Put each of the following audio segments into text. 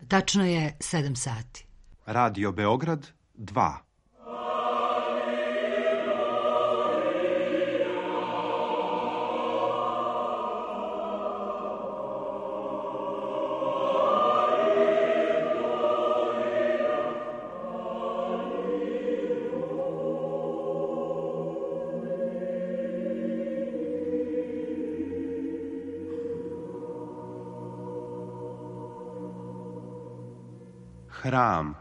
Tačno je 7 sati. Radio Beograd 2. Hram.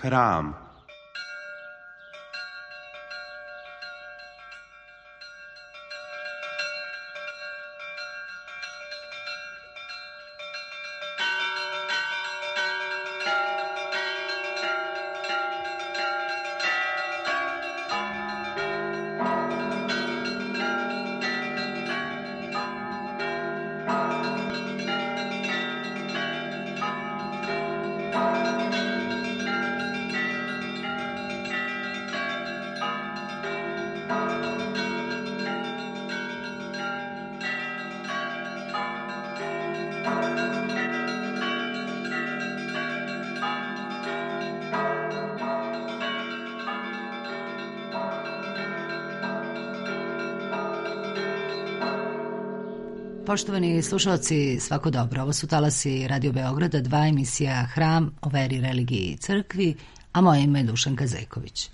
Hram. Poštovani slušalci, svako dobro. Ovo su talasi Radio Beograda 2, emisija Hram o veri, religiji i crkvi, a moje ime je Dušanka Zejković.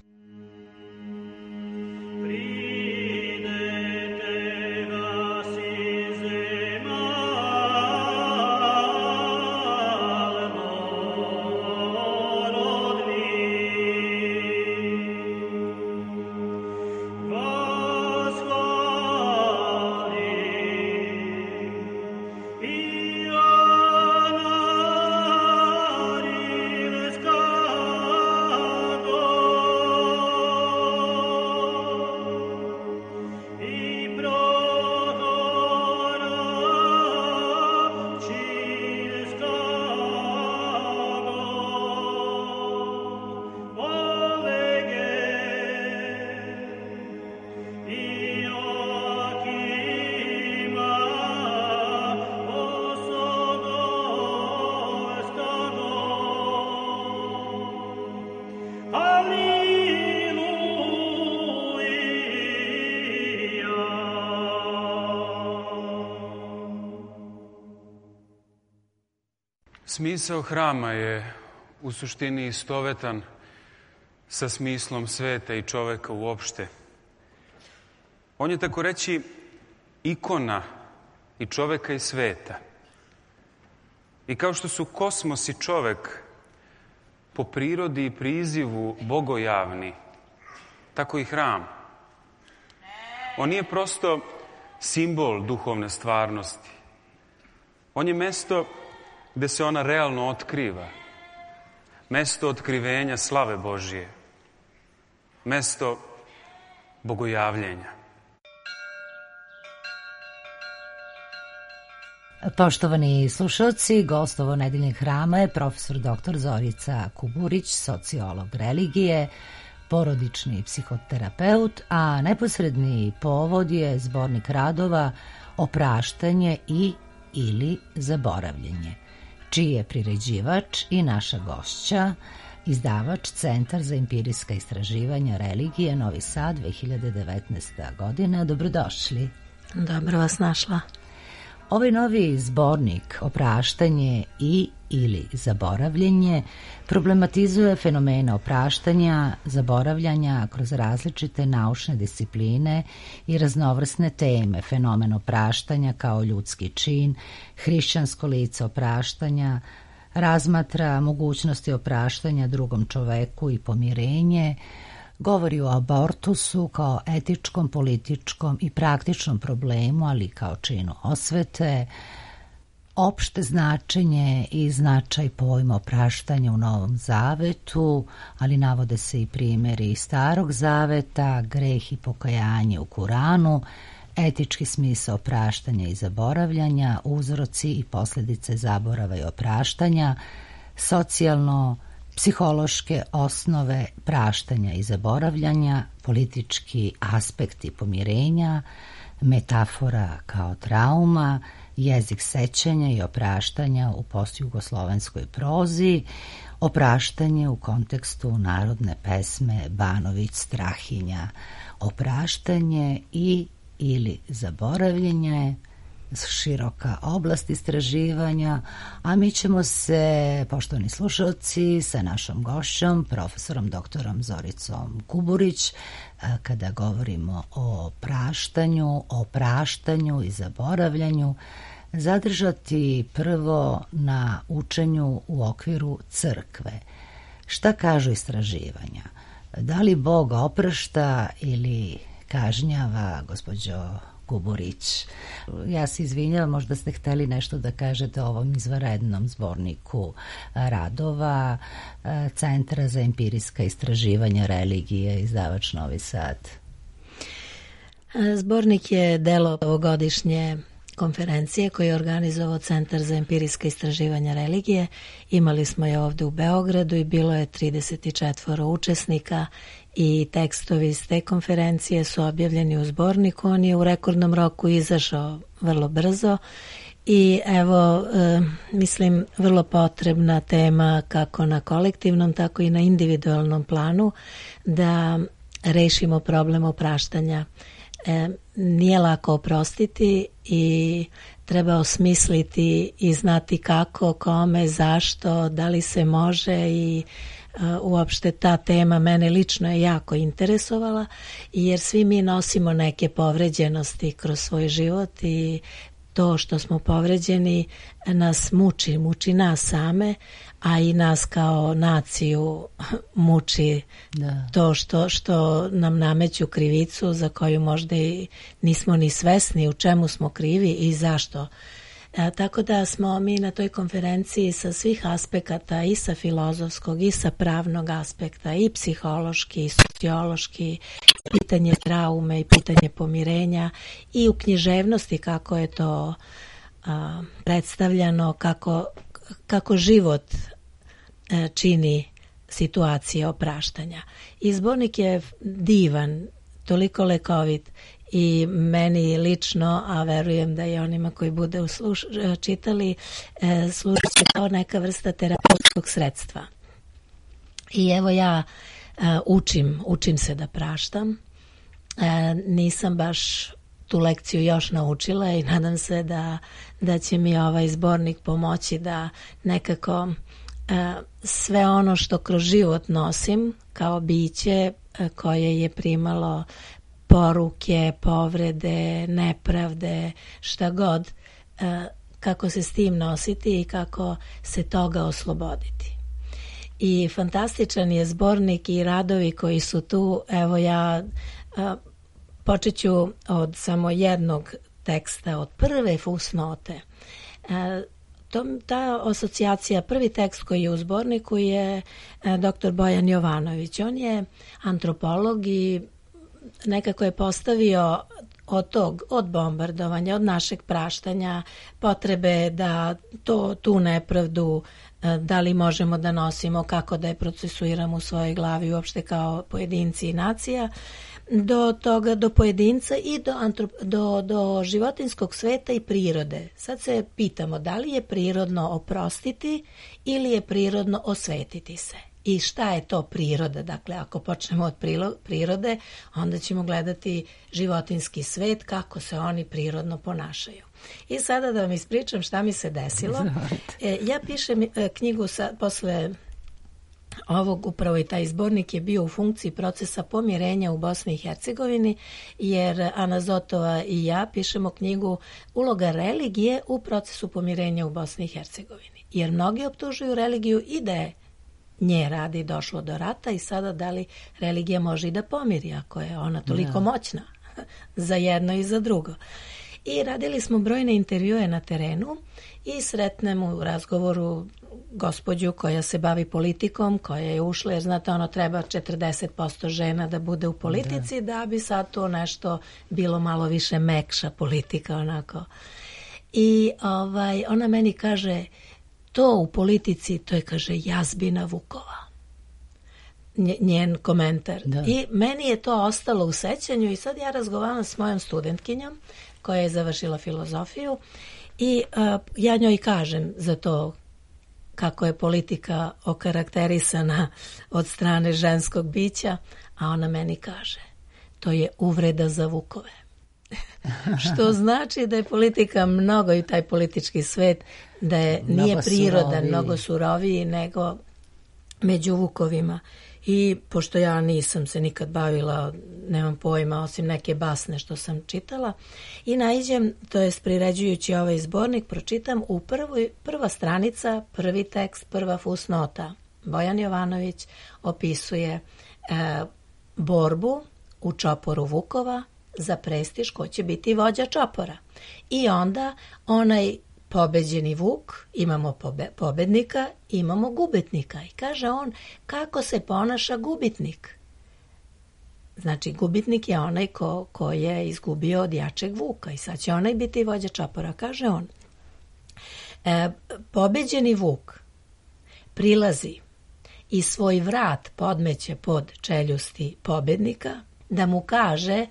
Smisao hrama je u suštini istovetan sa smislom sveta i čoveka uopšte. On je tako reći ikona i čoveka i sveta. I kao što su kosmos i čovek po prirodi i prizivu bogojavni, tako i hram. On nije prosto simbol duhovne stvarnosti. On je mesto gde se ona realno otkriva. Mesto otkrivenja slave Božije. Mesto bogojavljenja. Poštovani slušalci, gost ovo nedeljnog hrama je profesor dr. Zorica Kuburić, sociolog religije, porodični psihoterapeut, a neposredni povod je zbornik radova Opraštanje i ili zaboravljanje, čiji je priređivač i naša gošća, izdavač Centar za empirijska istraživanja religije Novi Sad 2019. godina. Dobrodošli. Dobro vas našla. Ovaj novi zbornik Opraštanje i ili zaboravljanje problematizuje fenomene opraštanja, zaboravljanja kroz različite naučne discipline i raznovrsne teme. Fenomen opraštanja kao ljudski čin, hrišćansko lice opraštanja, razmatra mogućnosti opraštanja drugom čoveku i pomirenje, govori o abortusu kao etičkom, političkom i praktičnom problemu, ali kao činu osvete, opšte značenje i značaj pojma opraštanja u Novom Zavetu, ali navode se i primjeri iz Starog Zaveta, greh i pokajanje u Kuranu, etički smisao opraštanja i zaboravljanja, uzroci i posljedice zaborava i opraštanja, socijalno-psihološke osnove praštanja i zaboravljanja, politički aspekti pomirenja, metafora kao trauma, jezik sećanja i opraštanja u postjugoslovenskoj prozi, opraštanje u kontekstu narodne pesme Banović Strahinja, opraštanje i ili zaboravljanje, široka oblast istraživanja, a mi ćemo se, poštovani slušalci, sa našom gošćom, profesorom doktorom Zoricom Kuburić, kada govorimo o praštanju i zaboravljanju, zadržati prvo na učenju u okviru crkve. Šta kažu istraživanja? Da li Bog oprašta ili kažnjava, gospođo Kuburić? Ja se izvinjavam, možda ste hteli nešto da kažete o ovom izvanrednom zborniku radova Centra za empirijska istraživanja religije, izdavač Novi Sad. Zbornik je delo ovogodišnje konferencije koju je organizovao Centar za empirijska istraživanja religije. Imali smo je ovde u Beogradu i bilo je 34 učesnika i tekstovi iz te konferencije su objavljeni u zborniku. On je u rekordnom roku izašao vrlo brzo i evo, mislim, vrlo potrebna tema kako na kolektivnom, tako i na individualnom planu da rešimo problem opraštanja. Nije lako oprostiti i treba osmisliti i znati kako, kome, zašto, da li se može i uopšte ta tema mene lično je jako interesovala jer svi mi nosimo neke povređenosti kroz svoj život i to što smo povređeni nas muči nas same, a i nas kao naciju muči to što nam nameću krivicu za koju možda i nismo ni svesni u čemu smo krivi i zašto. Tako da smo mi na toj konferenciji sa svih aspekata, i sa filozofskog i sa pravnog aspekta, i psihološki i sociološki, pitanje traume i pitanje pomirenja, i u književnosti kako je to predstavljano, kako život čini situacije opraštanja. I zbornik je divan, toliko lekovit i meni lično, a verujem da i onima koji bude čitali, služi se kao neka vrsta terapeutskog sredstva. I evo ja učim se da praštam. Nisam baš tu lekciju još naučila i nadam se da će mi ovaj zbornik pomoći da nekako sve ono što kroz život nosim kao biće koje je primalo poruke, povrede, nepravde, šta god, kako se s tim nositi i kako se toga osloboditi. I fantastičan je zbornik i radovi koji su tu. Evo ja počet ću od samo jednog teksta, od prve fusnote. Ta asocijacija, prvi tekst koji je u zborniku je dr. Bojan Jovanović. On je antropolog i nekako je postavio od bombardovanja, od našeg praštanja, potrebe da tu nepravdu, da li možemo da nosimo, kako da je procesuiramo u svojoj glavi uopšte kao pojedinci i nacija, do toga, do pojedinca i do životinskog sveta i prirode. Sad se pitamo da li je prirodno oprostiti ili je prirodno osvetiti se. I šta je to priroda? Dakle, ako počnemo od prirode, onda ćemo gledati životinski svet, kako se oni prirodno ponašaju. I sada da vam ispričam šta mi se desilo. Ja pišem knjigu posle ovog, upravo i taj zbornik je bio u funkciji procesa pomirenja u Bosni i Hercegovini, jer Ana Zotova i ja pišemo knjigu Uloga religije u procesu pomirenja u Bosni i Hercegovini. Jer mnogi optužuju religiju i da je nje radi došlo do rata i sada da li religija može i da pomiri ako je ona toliko moćna za jedno i za drugo. I radili smo brojne intervjue na terenu i sretnem u razgovoru gospođu koja se bavi politikom, koja je ušla, jer znate, treba 40% žena da bude u politici, da bi sad to nešto bilo malo više mekša politika, onako. I ona meni kaže, to u politici, to je, kaže, jazbina vukova. Njen komentar. Da. I meni je to ostalo u sećanju i sad ja razgovaram s mojom studentkinjom koja je završila filozofiju i ja njoj kažem za to kako je politika okarakterisana od strane ženskog bića, a ona meni kaže, to je uvreda za vukove. Što znači da je politika mnogo i taj politički svet, da je nije prirodan, mnogo suroviji nego među vukovima. I pošto ja nisam se nikad bavila, nemam pojma, osim neke basne što sam čitala, i naiđem, to jest priređujući ovaj zbornik, pročitam u prva stranica, prvi tekst, prva fusnota. Bojan Jovanović opisuje borbu u čoporu vukova za prestiž ko će biti vođa čopora. I onda onaj pobeđeni vuk, imamo pobednika, imamo gubitnika. I kaže on, kako se ponaša gubitnik? Znači, gubitnik je onaj ko je izgubio od jačeg vuka i sad će onaj biti vođa čopora. Kaže on, pobeđeni vuk prilazi i svoj vrat podmeće pod čeljusti pobednika, da mu kaže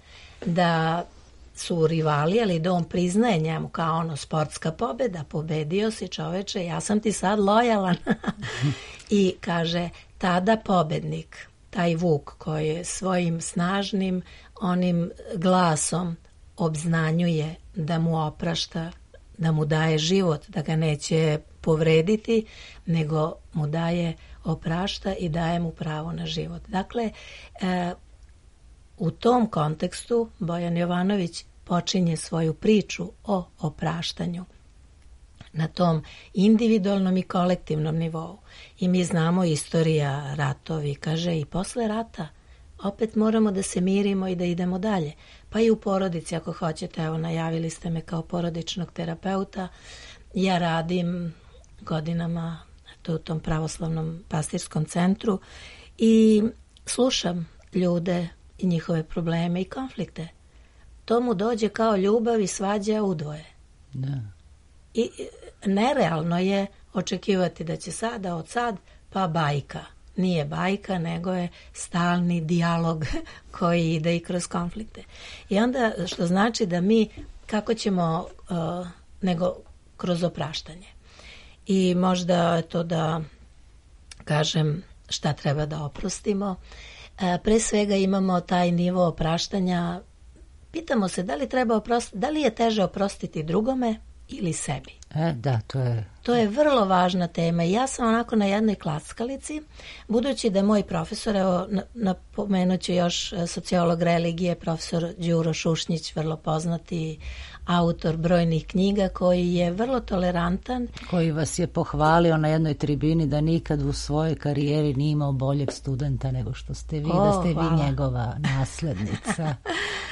da su rivali, ali da on priznaje njemu kao sportska pobeda, pobedio si čoveče, ja sam ti sad lojalan. I kaže, tada pobednik, taj vuk koji je svojim snažnim onim glasom obznanjuje da mu oprašta, da mu daje život, da ga neće povrediti, nego mu daje oprašta i daje mu pravo na život. Dakle, u tom kontekstu Bojan Jovanović počinje svoju priču o opraštanju na tom individualnom i kolektivnom nivou. I mi znamo istorija, ratovi, kaže, i posle rata opet moramo da se mirimo i da idemo dalje. Pa i u porodici, ako hoćete, evo, najavili ste me kao porodičnog terapeuta, ja radim godinama u tom pravoslavnom pastirskom centru i slušam ljude i njihove probleme i konflikte. To mu dođe kao ljubav i svađa udvoje. Da. I nerealno je očekivati da će sada od sad pa bajka. Nije bajka, nego je stalni dijalog koji ide i kroz konflikte. I onda, što znači da mi, kako ćemo, nego kroz opraštanje. I možda to da kažem šta treba da oprostimo. Pre svega imamo taj nivo opraštanja. Pitamo se da li je teže oprostiti drugome ili sebi. Da, to je vrlo važna tema i ja sam onako na jednoj klackalici, budući da moj profesor, evo napomenut ću još sociolog religije, profesor Đuro Šušnjić, vrlo poznati autor brojnih knjiga, koji je vrlo tolerantan. Koji vas je pohvalio na jednoj tribini da nikad u svojoj karijeri nije imao boljeg studenta nego što ste vi, da ste vi njegova naslednica,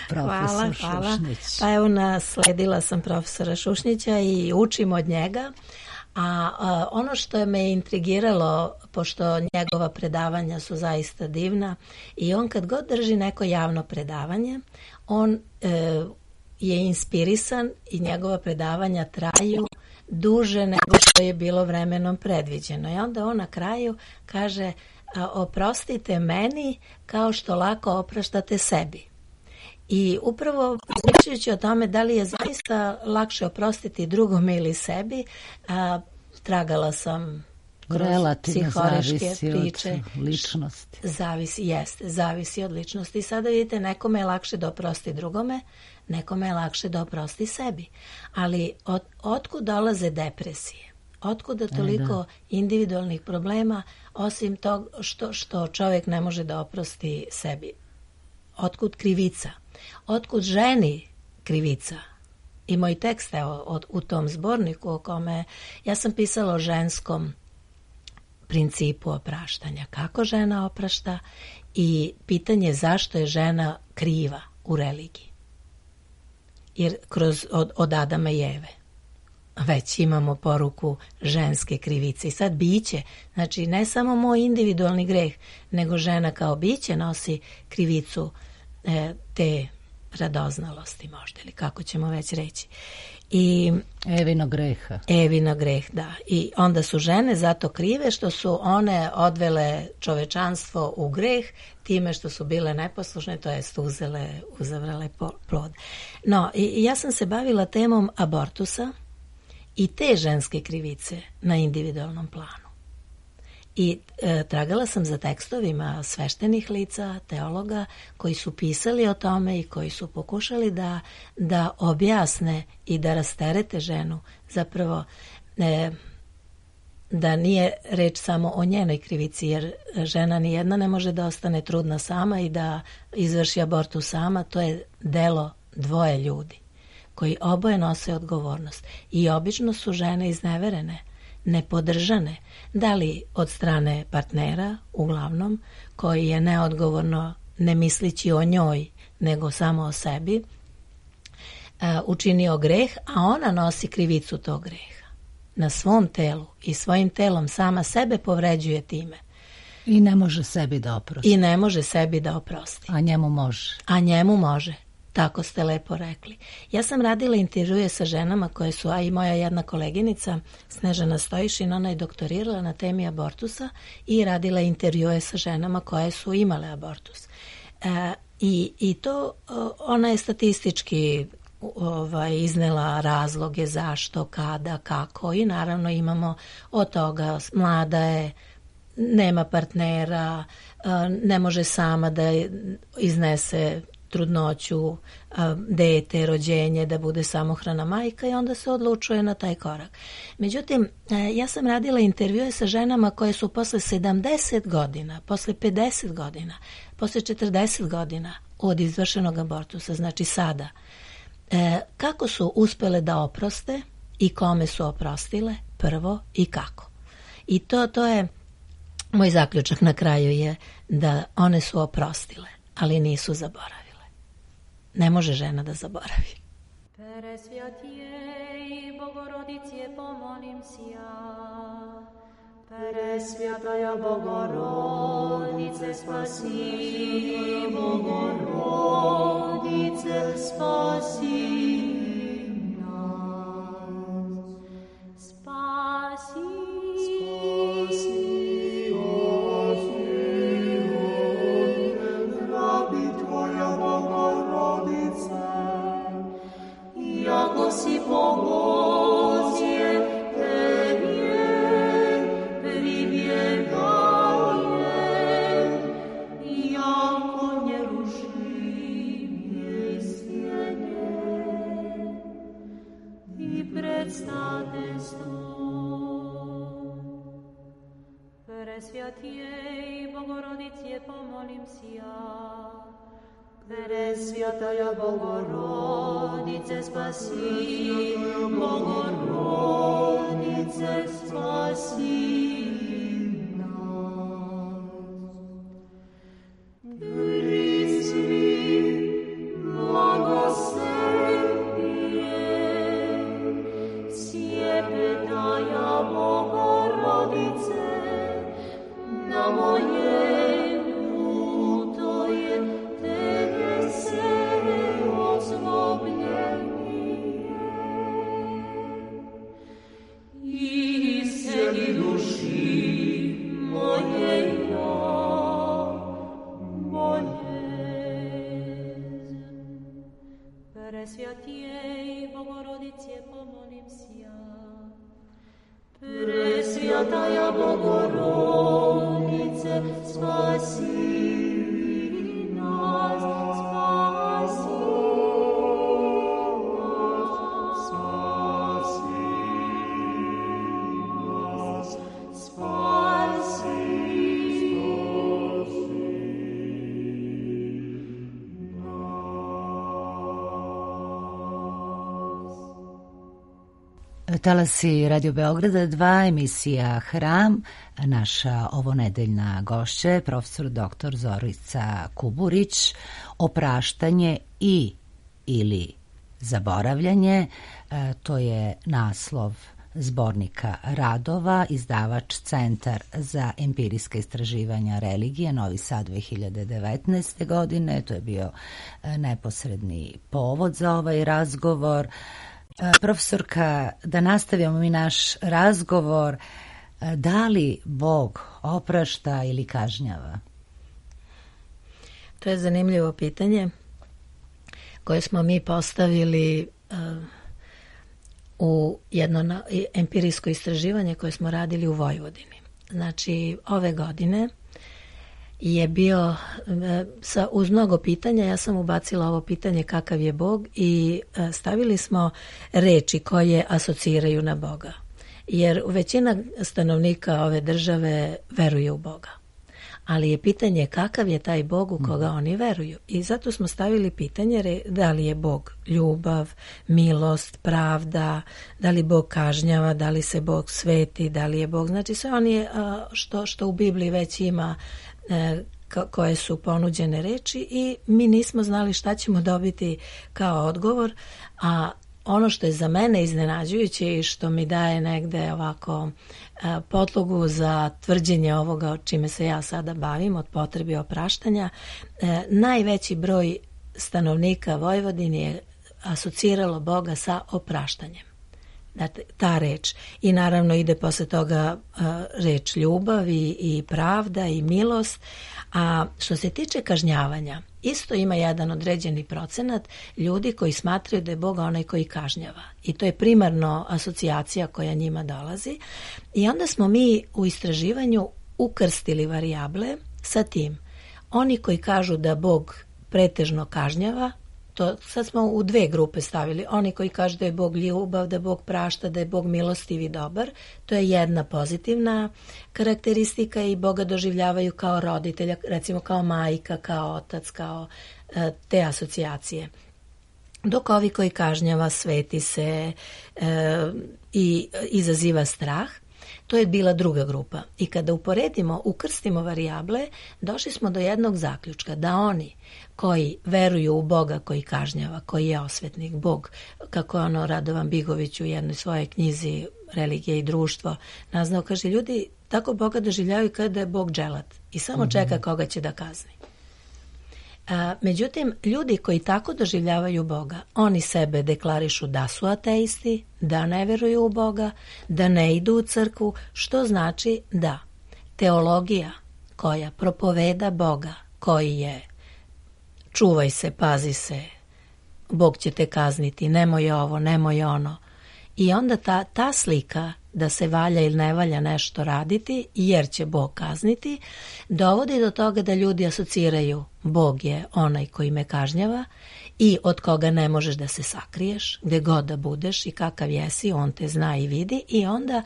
profesor Šušnjić. Pa evo, nasledila sam profesora Šušnjića i učim od njega. A ono što me je intrigiralo, pošto njegova predavanja su zaista divna, i on kad god drži neko javno predavanje, on je inspirisan i njegova predavanja traju duže nego što je bilo vremenom predviđeno. I onda on na kraju kaže, oprostite meni kao što lako opraštate sebi. I upravo pričajući o tome da li je zaista lakše oprostiti drugome ili sebi, tragala sam kroz psihološke priče. Od ličnosti. Zavisi od ličnosti. I sada vidite, nekome je lakše da oprosti drugome, nekome je lakše da oprosti sebi. Ali otkud dolaze depresije? Otkuda toliko individualnih problema, osim tog što čovjek ne može da oprosti sebi? Otkud krivica? Otkud ženi krivica? I moj tekst u tom zborniku o kome ja sam pisala o ženskom principu opraštanja. Kako žena oprašta i pitanje zašto je žena kriva u religiji. jer od Adama i Eve već imamo poruku ženske krivice. I sad biće, znači ne samo moj individualni greh, nego žena kao biće nosi krivicu te radoznalosti možda, ili kako ćemo već reći. I Evino greh, da. I onda su žene zato krive što su one odvele čovečanstvo u greh time što su bile neposlušne, to jest uzavrale plod. No, i ja sam se bavila temom abortusa i te ženske krivice na individualnom planu. I tragala sam za tekstovima sveštenih lica, teologa, koji su pisali o tome i koji su pokušali da objasne i da rasterete ženu, zapravo da nije reč samo o njenoj krivici, jer žena nijedna ne može da ostane trudna sama i da izvrši abortus sama, to je delo dvoje ljudi koji oboje nose odgovornost. I obično su žene izneverene, nepodržane, da li od strane partnera, uglavnom, koji je neodgovorno, ne mislići o njoj, nego samo o sebi, učinio greh, a ona nosi krivicu tog greha na svom telu i svojim telom sama sebe povređuje time. I ne može sebi da oprosti. A njemu može. Tako ste lepo rekli. Ja sam radila intervjue sa ženama koje su, a i moja jedna koleginica Snežana Stojišin, ona je doktorirala na temi abortusa i radila intervjue sa ženama koje su imale abortus. I to ona je statistički iznela razloge zašto, kada, kako, i naravno imamo od toga mlada je, nema partnera, ne može sama da iznese trudnoću, dete, rođenje, da bude samohrana majka, i onda se odlučuje na taj korak. Međutim, ja sam radila intervjue sa ženama koje su posle 70 godina, posle 50 godina, posle 40 godina od izvršenog abortusa, znači sada, kako su uspele da oproste i kome su oprostile prvo i kako. I to je moj zaključak na kraju, je da one su oprostile, ali nisu zaboravile. Ne može žena da zaboravi. Presvjatijej Bogorodice, pomolim si ja. Presvjataja Bogorodice, spasi. Bogorodice, spasi nas. Spasi. Jako si pomozie, Tebie pribiegaje, jako nieruszimie stanie i predstaviteljstvo. Presvjatijej Bogorodice, pomolim si ja. Presvjataja Bogorodice, spasi. Bogorodice, spasi nas. Prisvi, blagoslovije, sjepetaja Bogorodice, na moje Presvjatijej Bogorodice, pomolim si ja. Presvjataja Bogorodice, spasi nas, spasi nas, spasi nas, spasi Talasi Radio Beograda 2, emisija Hram. Naša ovonedeljna gošća je profesor dr. Zorica Kuburić. Opraštanje ili zaboravljanje. To je naslov zbornika radova, izdavač Centar za empirijska istraživanja religije, Novi Sad 2019. godine. To je bio neposredni povod za ovaj razgovor. Profesorka, da nastavimo mi naš razgovor, da li Bog oprašta ili kažnjava? To je zanimljivo pitanje koje smo mi postavili u jedno empirijsko istraživanje koje smo radili u Vojvodini. Znači, ove godine je bio, uz mnogo pitanja, ja sam ubacila ovo pitanje kakav je Bog i stavili smo reči koje asociraju na Boga. Jer većina stanovnika ove države veruje u Boga. Ali je pitanje kakav je taj Bog u koga oni veruju. I zato smo stavili pitanje da li je Bog ljubav, milost, pravda, da li Bog kažnjava, da li se Bog sveti, da li je Bog... Znači sve oni što u Bibliji već ima koje su ponuđene reči i mi nismo znali šta ćemo dobiti kao odgovor, a ono što je za mene iznenađujuće i što mi daje negde ovako podlogu za tvrđenje ovoga o čime se ja sada bavim, od potrebi opraštanja, najveći broj stanovnika Vojvodine je asociralo Boga sa opraštanjem. Dakle, ta reč. I naravno ide posle toga reč ljubav i pravda i milost. A što se tiče kažnjavanja, isto ima jedan određeni procenat ljudi koji smatraju da je Bog onaj koji kažnjava. I to je primarno asocijacija koja njima dolazi. I onda smo mi u istraživanju ukrstili varijable sa tim. Oni koji kažu da Bog pretežno kažnjava, to sad smo u dve grupe stavili. Oni koji kažu da je Bog ljubav, da Bog prašta, da je Bog milostiv i dobar, to je jedna pozitivna karakteristika i Boga doživljavaju kao roditelja, recimo kao majka, kao otac, kao te asocijacije. Dok ovi koji kažnjava, sveti se i izaziva strah, to je bila druga grupa. I kada ukrstimo varijable, došli smo do jednog zaključka, da oni koji veruju u Boga koji kažnjava, koji je osvetnik, Bog, kako je Radovan Bigović u jednoj svojoj knjizi Religija i društvo naznao, kaže, ljudi tako Boga doživljavaju kao da je Bog dželat i samo čeka koga će da kazni. Međutim, ljudi koji tako doživljavaju Boga, oni sebe deklarišu da su ateisti, da ne veruju u Boga, da ne idu u crkvu, što znači da teologija koja propoveda Boga, koji je čuvaj se, pazi se, Bog će te kazniti, nemoj ovo, nemoj ono. I onda ta slika da se valja ili ne valja nešto raditi jer će Bog kazniti, dovodi do toga da ljudi asociraju Bog je onaj koji me kažnjava i od koga ne možeš da se sakriješ, gde god da budeš i kakav jesi, on te zna i vidi i onda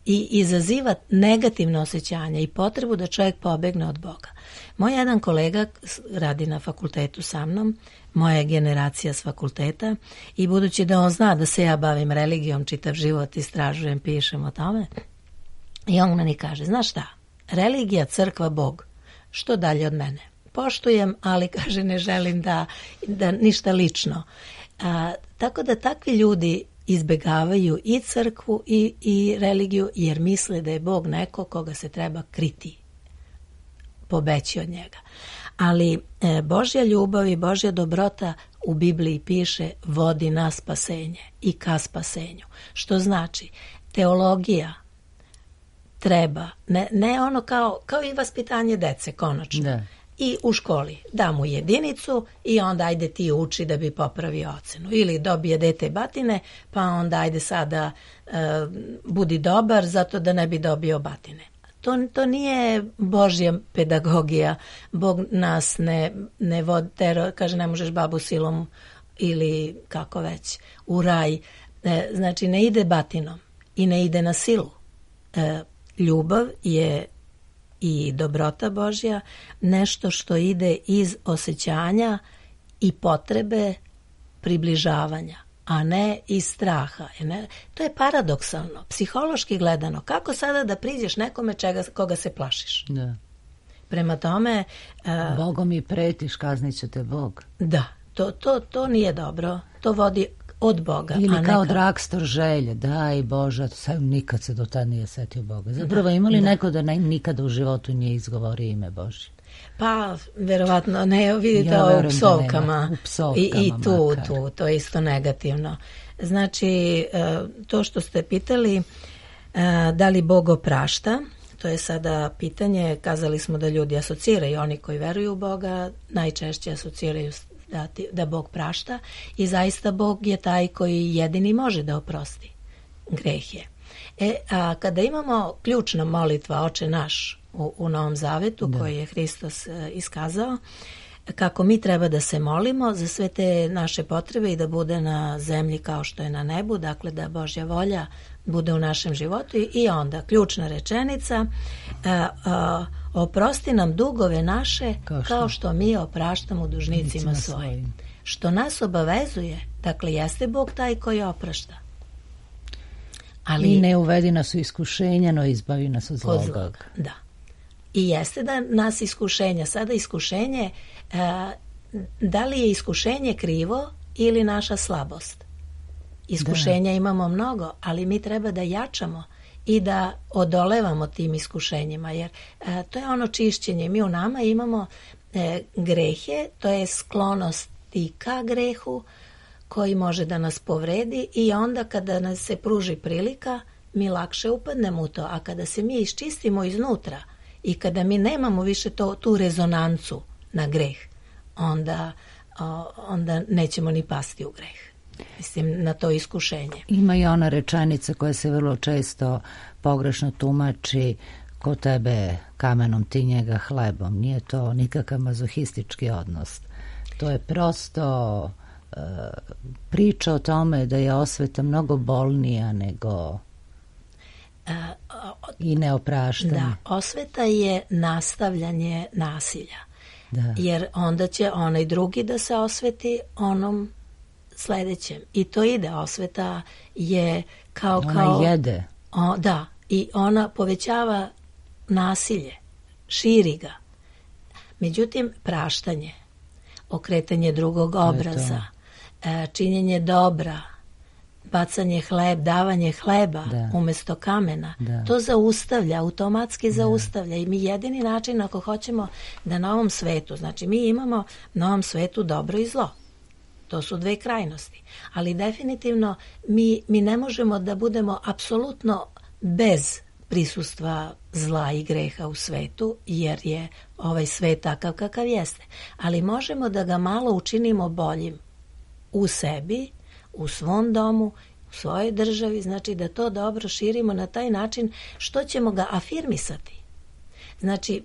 izaziva negativne osjećanja i potrebu da čovjek pobegne od Boga. Moj jedan kolega radi na fakultetu sa mnom, moja je generacija s fakulteta i budući da on zna da se ja bavim religijom, čitav život istražujem, pišem o tome, i on meni kaže, znaš šta, religija, crkva, Bog, što dalje od mene? Poštujem, ali kaže ne želim da ništa lično. Tako da takvi ljudi izbegavaju i crkvu i religiju jer misle da je Bog neko koga se treba kriti, pobeći od njega. Ali Božja ljubav i Božja dobrota u Bibliji piše vodi na spasenje i ka spasenju. Što znači teologija treba, ne ono kao i vaspitanje dece, konačno. Da. I u školi da mu jedinicu i onda ajde ti uči da bi popravio ocenu. Ili dobije dete batine, pa onda ajde sada budi dobar zato da ne bi dobio batine. To nije Božja pedagogija. Bog nas ne vodi, kaže ne možeš babu silom ili kako već u raj. Znači ne ide batinom i ne ide na silu. Ljubav je i dobrota Božja nešto što ide iz osjećanja i potrebe približavanja, a ne iz straha. To je paradoksalno, psihološki gledano. Kako sada da priđeš nekome koga se plašiš? Da. Prema tome... Bogom mi pretiš, kaznit će te Bog. Da, to nije dobro. To vodi od Boga. Ili kao Dragstor želje, daj Bože, sam nikad se do tada nije setio Boga. Zapravo imali neko da nikada u životu nije izgovorio ime Božje? Pa, verovatno, ne, vidite u psovkama. I tu, to je isto negativno. Znači, to što ste pitali, da li Bog oprašta, to je sada pitanje, kazali smo da ljudi asociraju, oni koji veruju u Boga, najčešće asociraju da Bog prašta i zaista Bog je taj koji jedini može da oprosti grehe. A kada imamo ključna molitva Oče naš u Novom Zavetu koji je Hristos iskazao, kako mi treba da se molimo za sve te naše potrebe i da bude na zemlji kao što je na nebu, dakle da Božja volja bude u našem životu i onda ključna rečenica, oprosti nam dugove naše kao što mi opraštamo dužnicima svojim. Što nas obavezuje, dakle jeste Bog taj koji oprašta. Ali i ne uvedi nas u iskušenja, no izbavi nas od zloga. Da. I jeste da nas iskušenja, sada iskušenje, da li je iskušenje krivo ili naša slabost? Iskušenja imamo mnogo, ali mi treba da jačamo i da odolevamo tim iskušenjima, jer to je ono čišćenje. Mi u nama imamo grehe, to je sklonosti ka grehu koji može da nas povredi i onda kada nas se pruži prilika, mi lakše upadnemo u to, a kada se mi iščistimo iznutra i kada mi nemamo više tu rezonancu na greh, onda nećemo ni pasti u greh. Mislim, na to iskušenje. Ima i ona rečenica koja se vrlo često pogrešno tumači: ko tebe kamenom, ti njega hlebom. Nije to nikakav mazohistički odnos. To je prosto priča o tome da je osveta mnogo bolnija nego i neopraštanje. Da, osveta je nastavljanje nasilja. Da. Jer onda će onaj drugi da se osveti onom sledećem. I to ide, osveta je ona jede. Da, i ona povećava nasilje, širi ga. Međutim, praštanje, okretanje drugog obraza, činjenje dobra, bacanje davanje hleba umjesto kamena, to zaustavlja, automatski zaustavlja. I mi jedini način ako hoćemo da na ovom svetu, znači mi imamo na ovom svetu dobro i zlo. To su dve krajnosti. Ali definitivno mi ne možemo da budemo apsolutno bez prisustva zla i greha u svetu, jer je ovaj svet takav kakav jeste. Ali možemo da ga malo učinimo boljim u sebi, u svom domu, u svojoj državi, znači da to dobro širimo na taj način što ćemo ga afirmisati. Znači,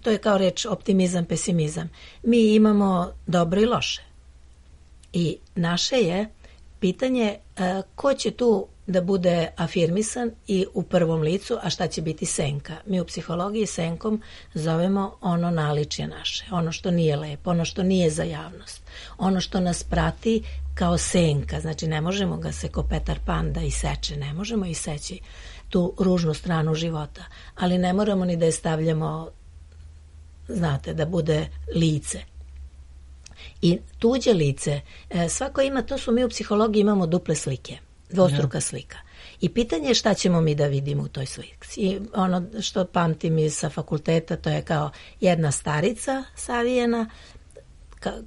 to je kao reč optimizam, pesimizam. Mi imamo dobro i loše. I naše je pitanje ko će tu da bude afirmisan i u prvom licu, a šta će biti senka. Mi u psihologiji senkom zovemo ono naličje naše, ono što nije lepo, ono što nije za javnost, ono što nas prati kao senka. Znači ne možemo ga se ko Petar Pan da iseče, ne možemo iseći tu ružnu stranu života, ali ne moramo ni da je stavljamo, znate, da bude lice. I tuđe lice, svako ima, to su mi u psihologiji imamo duple slike, dvostruka slika. I pitanje je šta ćemo mi da vidimo u toj slici. I ono što pamtim iz sa fakulteta, to je kao jedna starica savijena,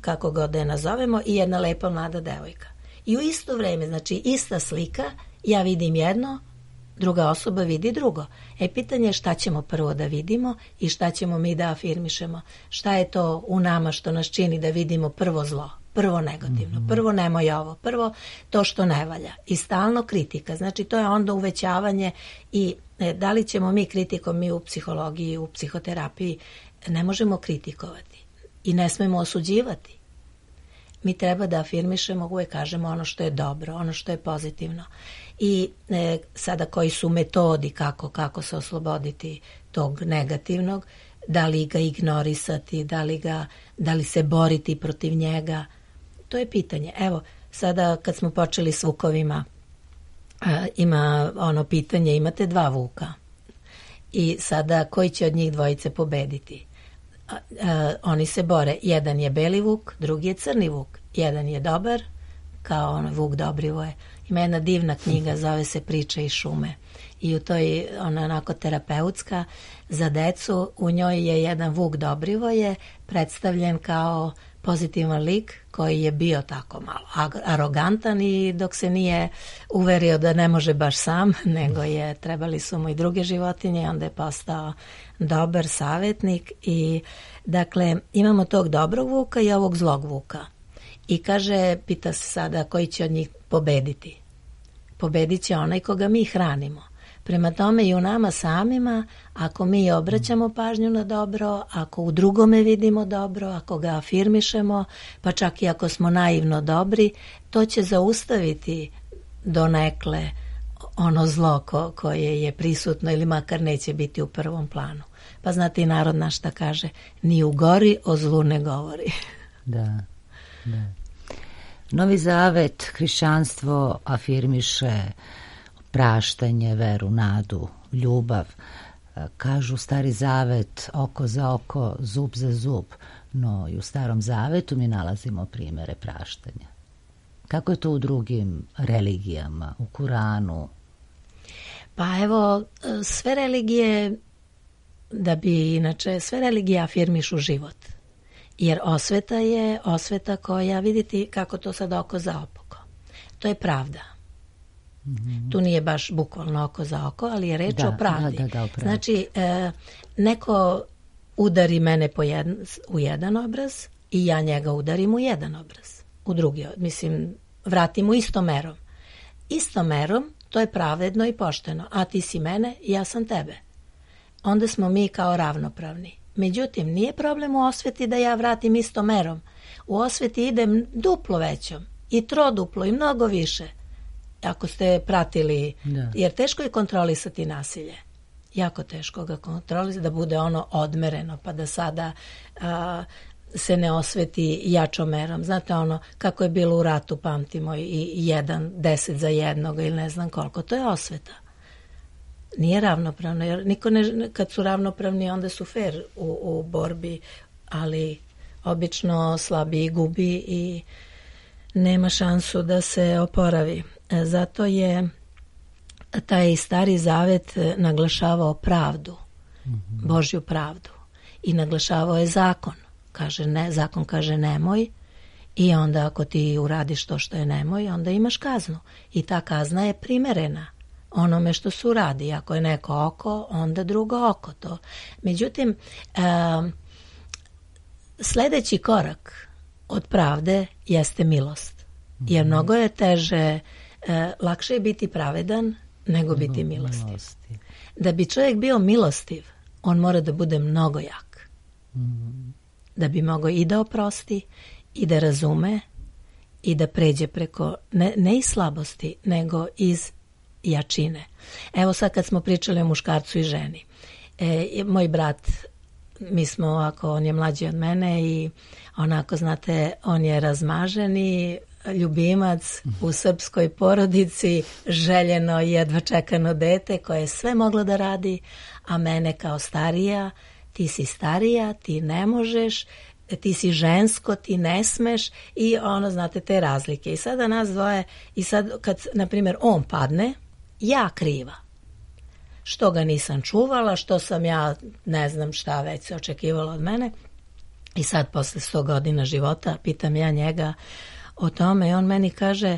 kako god da je nazovemo, i jedna lepa mlada devojka. I u isto vreme, znači ista slika, ja vidim jedno, druga osoba vidi drugo. Pitanje je šta ćemo prvo da vidimo i šta ćemo mi da afirmišemo. Šta je to u nama što nas čini da vidimo prvo zlo, prvo negativno, prvo nemoj ovo, prvo to što ne valja. I stalno kritika. Znači to je onda uvećavanje i da li ćemo mi kritikom, mi u psihologiji, u psihoterapiji, ne možemo kritikovati i ne smemo osuđivati. Mi treba da afirmišemo, uvek kažemo ono što je dobro, ono što je pozitivno. I sada koji su metodi kako se osloboditi tog negativnog, da li ga ignorisati, da li se boriti protiv njega, to je pitanje. Evo, sada kad smo počeli s vukovima, ima ono pitanje, imate 2 vuka i sada koji će od njih dvojice pobediti? Oni se bore, jedan je beli vuk, drugi je crni vuk, jedan je dobar, kao Vuk Dobrivoje. Ima jedna divna knjiga, zove se Priče iz šume. I u toj, ona onako terapeutska, za decu, u njoj je jedan Vuk Dobrivoje predstavljen kao pozitivan lik koji je bio tako malo arogantan i dok se nije uverio da ne može baš sam, nego je trebali su mu i druge životinje, onda je postao dobar savjetnik. I dakle imamo tog dobrog vuka i ovog zlog vuka. I kaže, pita se sada koji će od njih pobediti. Pobedit će onaj koga mi hranimo. Prema tome i u nama samima, ako mi obraćamo pažnju na dobro, ako u drugome vidimo dobro, ako ga afirmišemo, pa čak i ako smo naivno dobri, to će zaustaviti donekle ono zlo koje je prisutno ili makar neće biti u prvom planu. Pa znate i narod naš šta kaže, ni u gori o zlu ne govori. Da. Novi Zavet, hrišćanstvo afirmiše praštanje, veru, nadu, ljubav. Kažu Stari Zavet oko za oko, zub za zub, no i u Starom Zavetu mi nalazimo primere praštanja. Kako je to u drugim religijama, u Kuranu? Pa evo, sve religije, sve religije afirmišu život. Jer osveta je osveta koja, vidite kako to sad oko za oko. To je pravda. Tu nije baš bukvalno oko za oko, ali je reč o pravdi. Da, znači, neko udari mene u jedan obraz i ja njega udarim u jedan obraz. U drugi, mislim, vratim mu istom merom. Istom merom, to je pravedno i pošteno. A ti si mene, ja sam tebe. Onda smo mi kao ravnopravni. Međutim, nije problem u osveti da ja vratim istom merom. U osveti idem duplo većom i troduplo i mnogo više. Ako ste pratili, jer teško je kontrolisati nasilje. Jako teško ga kontrolisati, da bude ono odmereno, pa da sada se ne osveti jačom merom. Znate ono, kako je bilo u ratu, pamtimo, i 10 za jednog ili ne znam koliko. To je osveta. Nije ravnopravno, jer kad su ravnopravni, onda su fair u borbi, ali obično slabiji gubi i nema šansu da se oporavi. Zato je taj Stari Zavet naglašavao pravdu, Božju pravdu, i naglašavao je zakon. Zakon kaže nemoj, i onda ako ti uradiš to što je nemoj, onda imaš kaznu. I ta kazna je primerena onome što se uradi. Ako je neko oko, onda drugo oko to. Međutim, sljedeći korak od pravde jeste milost. Jer mnogo je teže, lakše je biti pravedan nego biti milostiv. Da bi čovjek bio milostiv, on mora da bude mnogo jak. Da bi mogao i da oprosti, i da razume, i da pređe preko, ne iz slabosti, nego iz jačine. Evo sad kad smo pričali o muškarcu i ženi. Moj brat, mi smo ovako, on je mlađi od mene i onako, znate, on je razmaženi ljubimac u srpskoj porodici, željeno i jedva čekano dete koje je sve moglo da radi, a mene kao starija, ti si starija, ti ne možeš, ti si žensko, ti ne smeš, i ono, znate, te razlike. I sada nas dvoje, i sad kad, na primjer, on padne, ja kriva. Što ga nisam čuvala, što sam ja, ne znam šta već se očekivalo od mene. I sad posle 100 godina života pitam ja njega o tome i on meni kaže,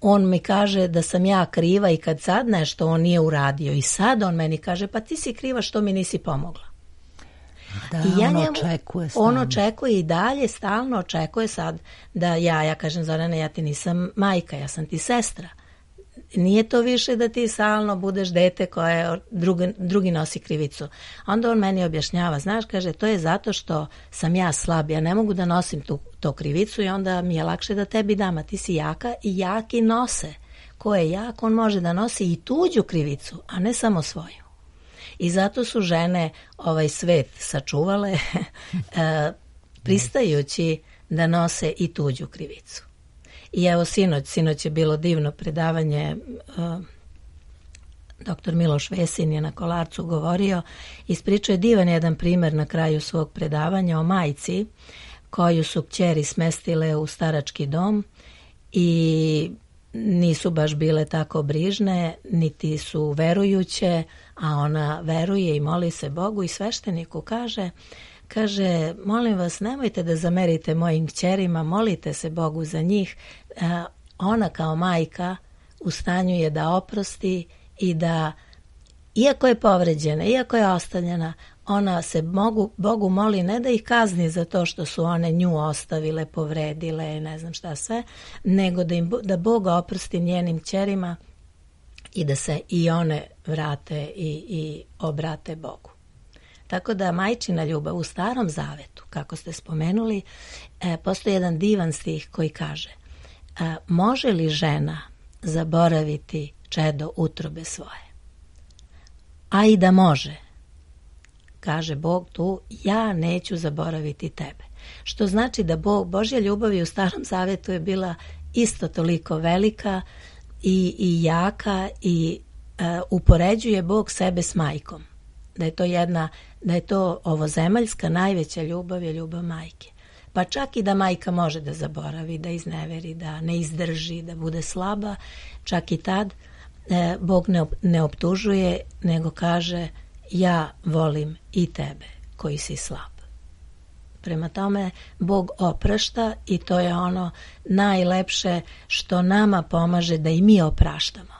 on mi kaže da sam ja kriva i kad sad nešto on nije uradio, i sad on meni kaže, pa ti si kriva što mi nisi pomogla. Da, i ja on očekuje i dalje, stalno očekuje sad da ja kažem, Zorana, ja ti nisam majka, ja sam ti sestra. Nije to više da ti stalno budeš dete koje drugi nosi krivicu. Onda on meni objašnjava, znaš, kaže, to je zato što sam ja slab, ja ne mogu da nosim to krivicu i onda mi je lakše da tebi dam, a ti si jaka i jaki nose. Ko je jak, on može da nosi i tuđu krivicu, a ne samo svoju. I zato su žene ovaj svet sačuvale pristajući da nose i tuđu krivicu. I evo sinoć je bilo divno predavanje, doktor Miloš Vesin je na Kolarcu govorio, ispričao je divan jedan primjer na kraju svog predavanja o majci koju su kćeri smestile u starački dom i nisu baš bile tako brižne, niti su verujuće, a ona veruje i moli se Bogu i svešteniku kaže, molim vas, nemojte da zamerite mojim kćerima, molite se Bogu za njih. Ona kao majka u stanju je da oprosti i da, iako je povređena, iako je ostavljena, ona se Bogu moli ne da ih kazni za to što su one nju ostavile, povredile, ne znam šta sve, nego da Bog oprosti njenim kćerima i da se i one vrate i obrate Bogu. Tako da majčina ljubav u Starom Zavetu, kako ste spomenuli, postoji jedan divan stih koji kaže: može li žena zaboraviti čedo utrobe svoje? A i da može, kaže Bog tu, ja neću zaboraviti tebe. Što znači da Božja ljubav u Starom Zavetu je bila isto toliko velika i jaka i upoređuje Bog sebe s majkom. Da je to ovozemaljska najveća ljubav je ljubav majke. Pa čak i da majka može da zaboravi, da izneveri, da ne izdrži, da bude slaba, čak i tad Bog ne optužuje, nego kaže: ja volim i tebe koji si slab. Prema tome, Bog oprašta i to je ono najlepše što nama pomaže da i mi opraštamo.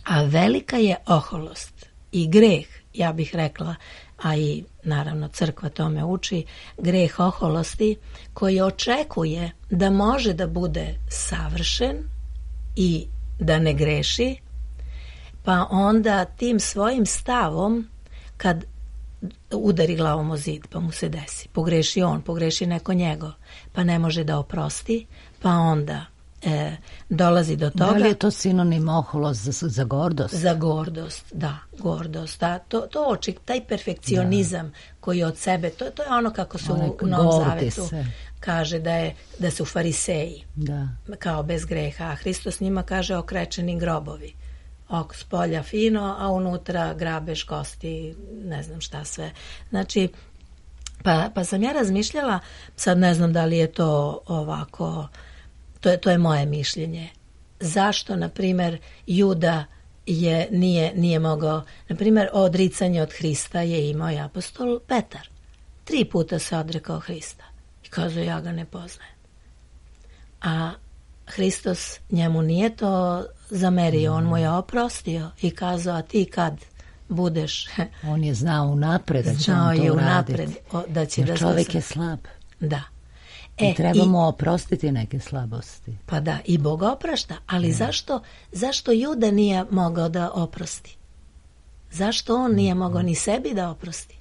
A velika je oholost i greh, ja bih rekla, a i naravno crkva tome uči, greh oholosti koji očekuje da može da bude savršen i da ne greši, pa onda tim svojim stavom kad udari glavom o zid pa mu se desi, pogreši on, pogreši neko njegov, pa ne može da oprosti, pa onda dolazi do toga. Da li je to sinonim oholost za gordost? Za gordost, da, gordost. Taj perfekcionizam koji od sebe, to je ono kako se u Novom Zavetu kaže da su fariseji, kao bez greha, a Hristos njima kaže okrečeni grobovi. S polja fino, a unutra grabež, kosti, ne znam šta sve. Znači, pa sam ja razmišljala, sad ne znam da li je to ovako, to je moje mišljenje. Zašto, na primjer, Juda nije mogao, na primjer, odricanje od Hrista je imao i apostol Petar. 3 puta se odrekao Hrista i kazao: ja ga ne poznajem. A Hristos njemu nije to zamerio, on mu je oprostio i kazao: a ti kad budeš... On je znao unapred da će on to uraditi. Jer čovjek je slab. Da. I trebamo oprostiti neke slabosti. Pa da, i Bog oprašta, ali zašto Juda nije mogao da oprosti? Zašto on nije mogao ni sebi da oprosti?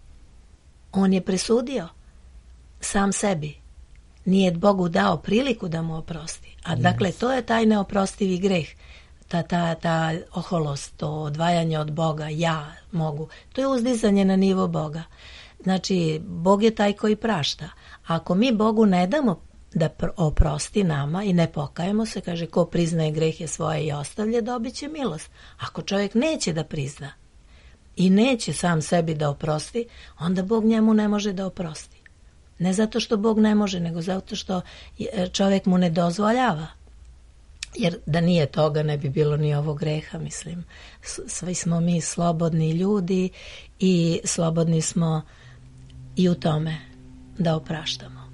On je presudio sam sebi. Nije Bogu dao priliku da mu oprosti. A dakle, to je taj neoprostivi greh. Ta oholost, to odvajanje od Boga, ja mogu. To je uzdizanje na nivo Boga. Znači, Bog je taj koji prašta. Ako mi Bogu ne damo da oprosti nama i ne pokajemo se, kaže, ko priznaje grehe svoje i ostavlja, dobit će milost. Ako čovjek neće da prizna i neće sam sebi da oprosti, onda Bog njemu ne može da oprosti. Ne zato što Bog ne može, nego zato što čovjek mu ne dozvoljava. Jer da nije toga ne bi bilo ni ovog greha, mislim. Svi smo mi slobodni ljudi i slobodni smo i u tome da opraštamo.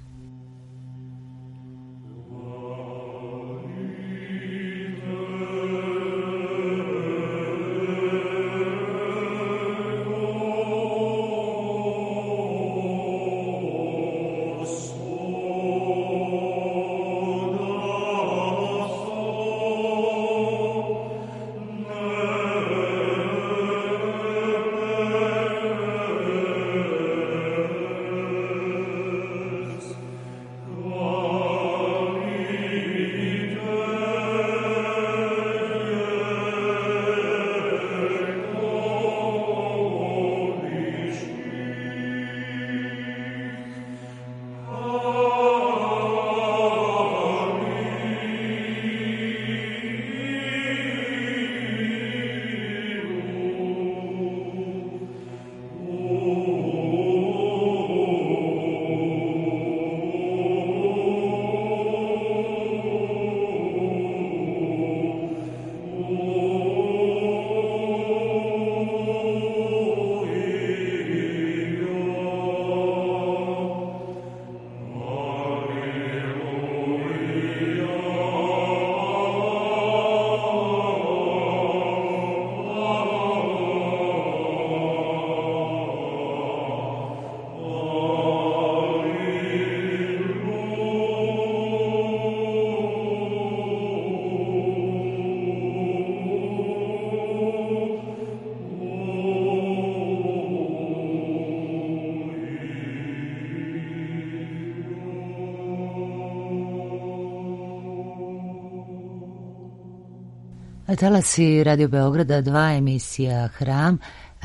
Talasi Radio Beograda 2, emisija Hram.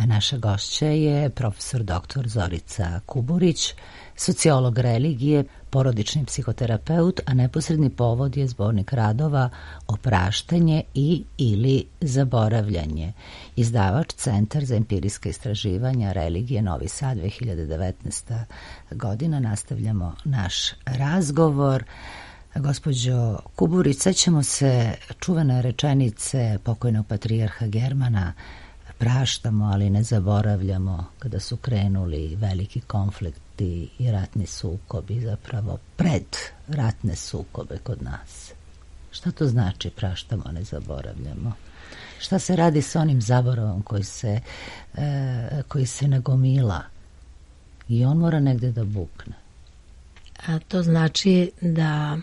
Naša gošća je profesor dr. Zorica Kuburić, sociolog religije, porodični psihoterapeut, a neposredni povod je zbornik radova Opraštanje i ili zaboravljanje. Izdavač Centar za empirijska istraživanja religije Novi Sad, 2019. godina. Nastavljamo naš razgovor. Gospođo Kuburić, sećamo se čuvene rečenice pokojnog patrijarha Germana: praštamo, ali ne zaboravljamo, kada su krenuli veliki konflikti i ratni sukobi, zapravo pred ratne sukobe kod nas. Šta to znači praštamo, ne zaboravljamo? Šta se radi sa onim zaboravom koji se nagomila i on mora negde da bukne? A to znači da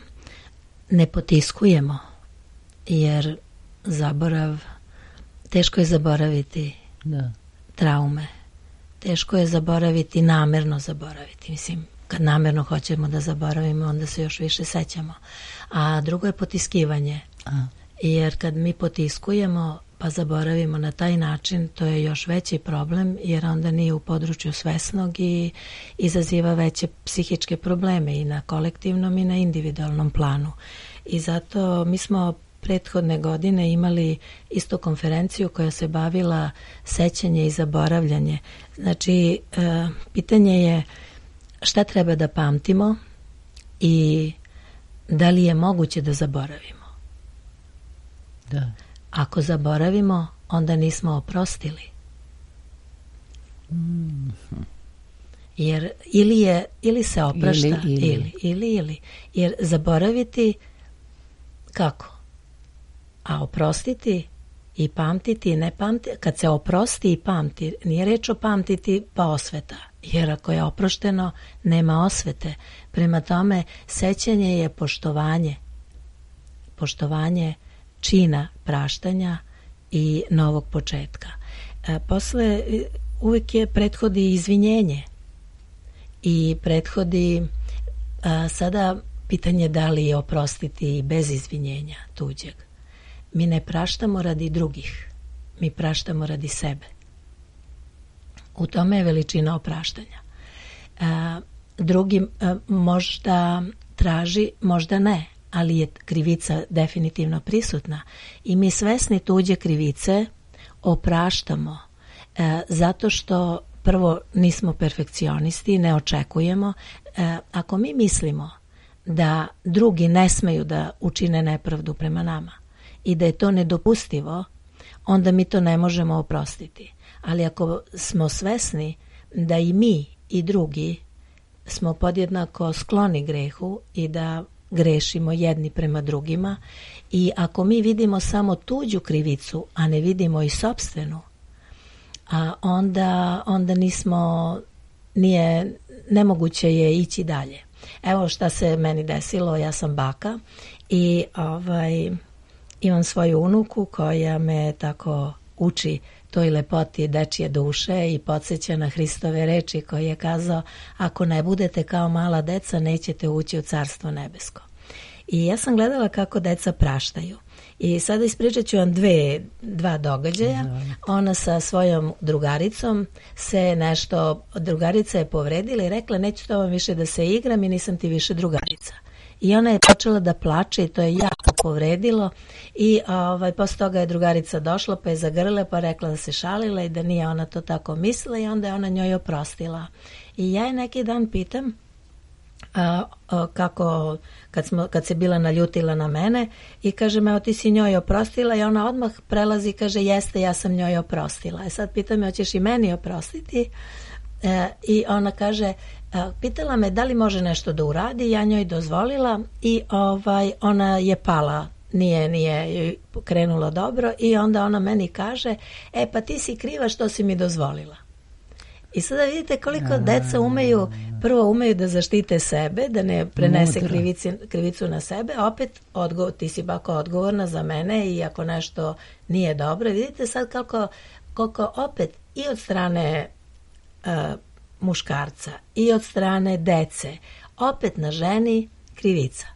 ne potiskujemo, jer zaborav, teško je zaboraviti traume, teško je zaboraviti, namerno zaboraviti. Mislim, kad namerno hoćemo da zaboravimo, onda se još više sećamo. A drugo je potiskivanje, jer kad mi potiskujemo pa zaboravimo na taj način, to je još veći problem, jer onda nije u području svesnog i izaziva veće psihičke probleme i na kolektivnom i na individualnom planu. I zato mi smo prethodne godine imali isto konferenciju koja se bavila sećanje i zaboravljanje. Znači, pitanje je šta treba da pamtimo i da li je moguće da zaboravimo. Da. Ako zaboravimo, onda nismo oprostili. Jer ili se oprašta, ili. Jer zaboraviti kako? A oprostiti i pamtiti i ne pamtiti, kad se oprosti i pamti, nije reč o pamtiti pa osveta, jer ako je oprošteno, nema osvete. Prema tome, sećanje je poštovanje čina praštanja i novog početka. Posle uvijek je prethodi izvinjenje i prethodi sada pitanje da li je oprostiti bez izvinjenja tuđeg. Mi ne praštamo radi drugih, mi praštamo radi sebe. U tome je veličina opraštanja. Drugi možda traži, možda ne, ali je krivica definitivno prisutna i mi svesni tuđe krivice opraštamo zato što prvo nismo perfekcionisti, ne očekujemo. Ako mi mislimo da drugi ne smeju da učine nepravdu prema nama i da je to nedopustivo, onda mi to ne možemo oprostiti. Ali ako smo svesni da i mi i drugi smo podjednako skloni grehu i da grešimo jedni prema drugima i ako mi vidimo samo tuđu krivicu, a ne vidimo i sopstvenu, onda nemoguće je ići dalje. Evo šta se meni desilo, ja sam baka i imam svoju unuku koja me tako uči toj lepoti dečije duše i podsjeća na Hristove reči koji je kazao: ako ne budete kao mala deca, nećete ući u Carstvo nebesko. I ja sam gledala kako deca praštaju. I sada ispričat ću vam dva događaja. Ona sa svojom drugaricom drugarica je povredila i rekla: neću to vam više da se igram i nisam ti više drugarica. I ona je počela da plače i to je jako povredilo i posle toga je drugarica došla pa je zagrlila pa rekla da se šalila i da nije ona to tako mislila i onda je ona njoj oprostila. I ja je neki dan pitam kako kad se bila naljutila na mene i kaže: evo ti si njoj oprostila, i ona odmah prelazi i kaže: jeste, ja sam njoj oprostila. Sad pita me: hoćeš i meni oprostiti? I ona kaže, pitala me da li može nešto da uradi, ja njoj dozvolila i ona je pala, nije krenulo dobro i onda ona meni kaže: pa ti si kriva što si mi dozvolila. I sada vidite koliko deca prvo umeju da zaštite sebe, da ne prenese krivicu na sebe, opet ti si bako odgovorna za mene i ako nešto nije dobro. Vidite sad koliko opet i od strane muškarca i od strane dece opet na ženi krivica.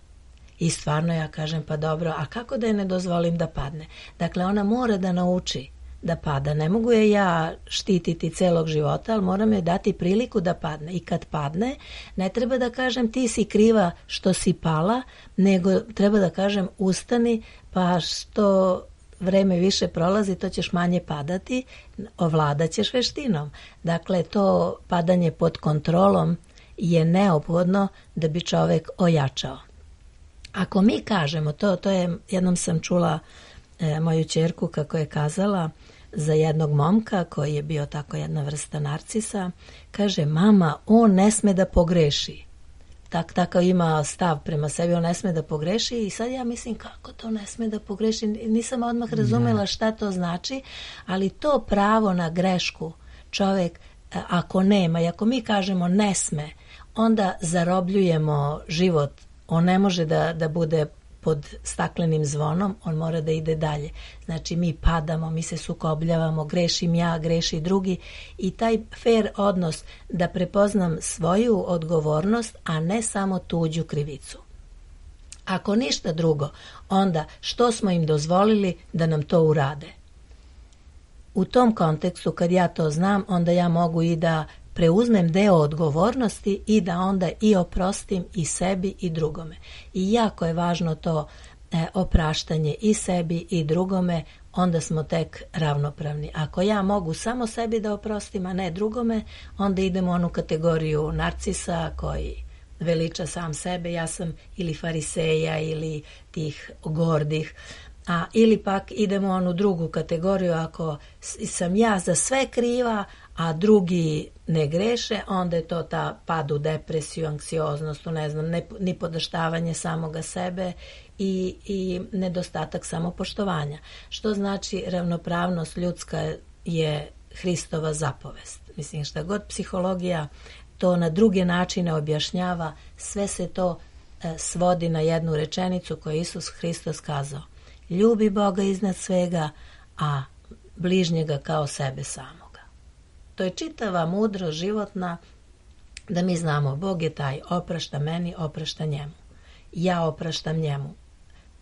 I stvarno ja kažem, pa dobro, a kako da je ne dozvolim da padne? Dakle, ona mora da nauči da pada. Ne mogu je ja štititi celog života, ali moram je dati priliku da padne. I kad padne, ne treba da kažem ti si kriva što si pala, nego treba da kažem ustani, pa što vreme više prolazi, to ćeš manje padati, ovladat ćeš veštinom. Dakle, to padanje pod kontrolom je neophodno da bi čovek ojačao. Ako mi kažemo, to je, jednom sam čula moju ćerku kako je kazala za jednog momka koji je bio tako jedna vrsta narcisa, kaže, mama, on ne sme da pogreši. Takav ima stav prema sebi, on ne sme da pogreši i sad ja mislim kako to ne sme da pogreši, nisam odmah razumela šta to znači, ali to pravo na grešku čovek ako nema i ako mi kažemo ne sme, onda zarobljujemo život, on ne može da bude pod staklenim zvonom, on mora da ide dalje. Znači mi padamo, mi se sukobljavamo, grešim ja, greši drugi i taj fair odnos da prepoznam svoju odgovornost, a ne samo tuđu krivicu. Ako ništa drugo, onda što smo im dozvolili da nam to urade? U tom kontekstu, kad ja to znam, onda ja mogu i da preuzmem deo odgovornosti i da onda i oprostim i sebi i drugome. I jako je važno to opraštanje i sebi i drugome, onda smo tek ravnopravni. Ako ja mogu samo sebi da oprostim, a ne drugome, onda idemo u onu kategoriju narcisa koji veliča sam sebe, ja sam ili fariseja ili tih gordih, ili pak idemo u onu drugu kategoriju, ako sam ja za sve kriva, a drugi ne greše, onda je to ta pad u depresiju, anksioznost, ne znam, nipodaštavanje samoga sebe i nedostatak samopoštovanja. Što znači ravnopravnost ljudska je Hristova zapovest. Mislim, šta god psihologija to na druge načine objašnjava, sve se to svodi na jednu rečenicu koju je Isus Hristos kazao. Ljubi Boga iznad svega, a bližnjega kao sebe samoga. To je čitava mudrost životna da mi znamo, Bog je taj, oprašta meni, oprašta njemu. Ja opraštam njemu,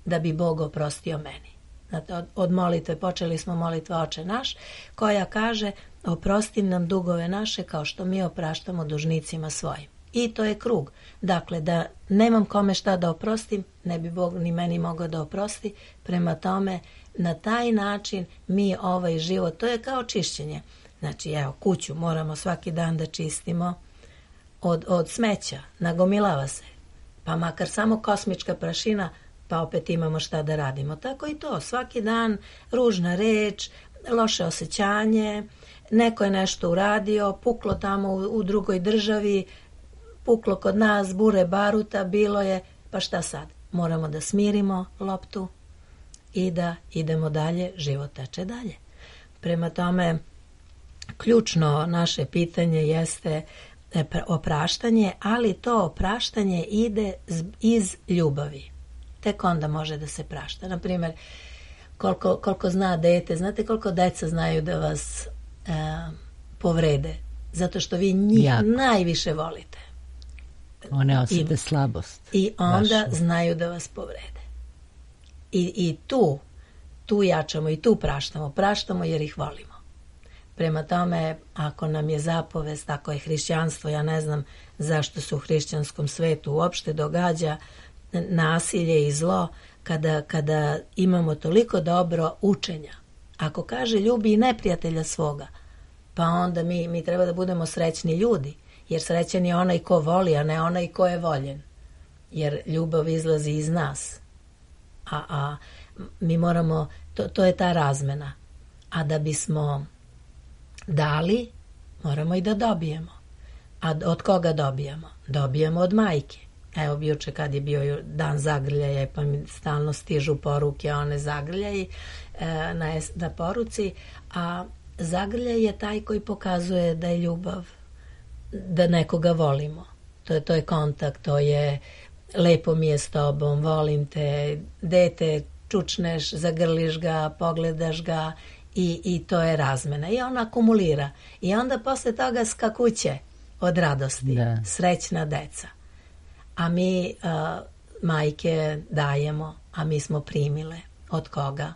da bi Bog oprostio meni. Znate, od molitve, počeli smo molitva Oče naš, koja kaže, oprosti nam dugove naše kao što mi opraštamo dužnicima svojim. I to je krug. Dakle, da nemam kome šta da oprostim, ne bi Bog ni meni mogao da oprosti. Prema tome, na taj način mi ovaj život, to je kao čišćenje. Znači, evo, kuću moramo svaki dan da čistimo od smeća, nagomilava se. Pa makar samo kosmička prašina, pa opet imamo šta da radimo. Tako i to, svaki dan ružna reč, loše osjećanje, neko je nešto uradio, puklo tamo u drugoj državi, puklo kod nas, bure baruta, bilo je, pa šta sad? Moramo da smirimo loptu i da idemo dalje, život teče dalje. Prema tome, ključno naše pitanje jeste opraštanje, ali to opraštanje ide iz ljubavi. Tek onda može da se prašta. Naprimjer, koliko zna dete, znate koliko deca znaju da vas povrede, zato što vi njih najviše volite. One osjete slabost. I onda znaju da vas povrede. I tu jačamo i tu praštamo. Praštamo jer ih volimo. Prema tome, ako nam je zapovest, ako je hrišćanstvo, ja ne znam zašto se u hrišćanskom svetu uopšte događa nasilje i zlo, kada imamo toliko dobro učenja. Ako kaže ljubi i neprijatelja svoga, pa onda mi treba da budemo srećni ljudi, jer srećan je onaj ko voli, a ne onaj ko je voljen. Jer ljubav izlazi iz nas. A mi moramo, to je ta razmena. A da bismo dali, moramo i da dobijemo. A od koga dobijamo? Dobijemo od majke. Evo, juče kad je bio dan zagrljaja, pa mi stalno stižu poruke, one zagrljaji na poruci, a zagrljaj je taj koji pokazuje da je ljubav, da nekoga volimo. To je kontakt, to je lepo mi je s tobom, volim te, dete, čučneš, zagrliš ga, pogledaš ga i to je razmena. I on akumulira. I onda posle toga skakuće od radosti, srećna deca. A mi majke dajemo, a mi smo primile. Od koga?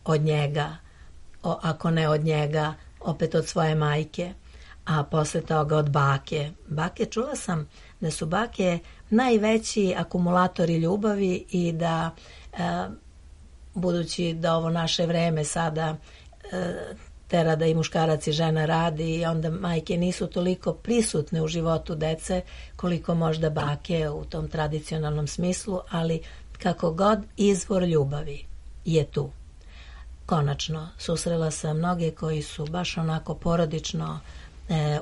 Od njega. Ako ne od njega, opet od svoje majke. A posle toga od bake. Bake, čula sam da su bake najveći akumulatori ljubavi i da, budući da ovo naše vreme sada tera da i muškarac i žena radi i onda majke nisu toliko prisutne u životu dece koliko možda bake u tom tradicionalnom smislu, ali kako god izvor ljubavi je tu. Konačno, susrela sam mnoge koji su baš onako porodično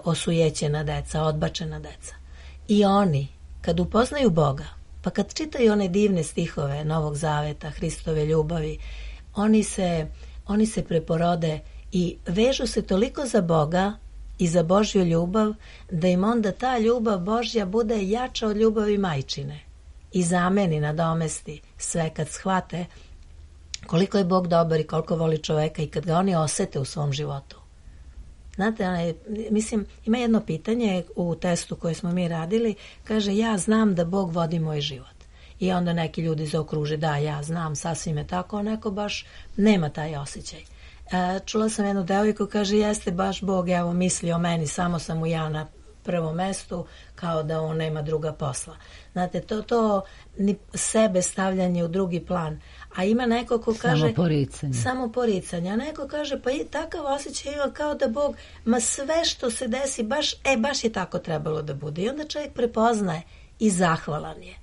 osujećena deca, odbačena deca. I oni, kad upoznaju Boga, pa kad čitaju one divne stihove Novog Zaveta, Hristove ljubavi, oni se preporode i vežu se toliko za Boga i za Božju ljubav, da im onda ta ljubav Božja bude jača od ljubavi majčine i zameni, nadomesti sve kad shvate koliko je Bog dobar i koliko voli čoveka i kad ga oni osete u svom životu. Znate, mislim, ima jedno pitanje u testu koje smo mi radili, kaže, ja znam da Bog vodi moj život. I onda neki ljudi zaokruže, da, ja znam, sasvim je tako, a neko baš nema taj osjećaj. Čula sam jednu devojku, kaže, jeste baš Bog, evo, misli o meni, samo sam mu ja na prvom mestu, kao da on nema druga posla. Znate, to sebe stavljanje u drugi plan. A ima neko ko kaže... Samo poricanje. A neko kaže, pa i takav osjećaj ima kao da Bog, ma sve što se desi, baš je tako trebalo da bude. I onda čovjek prepoznaje i zahvalan je.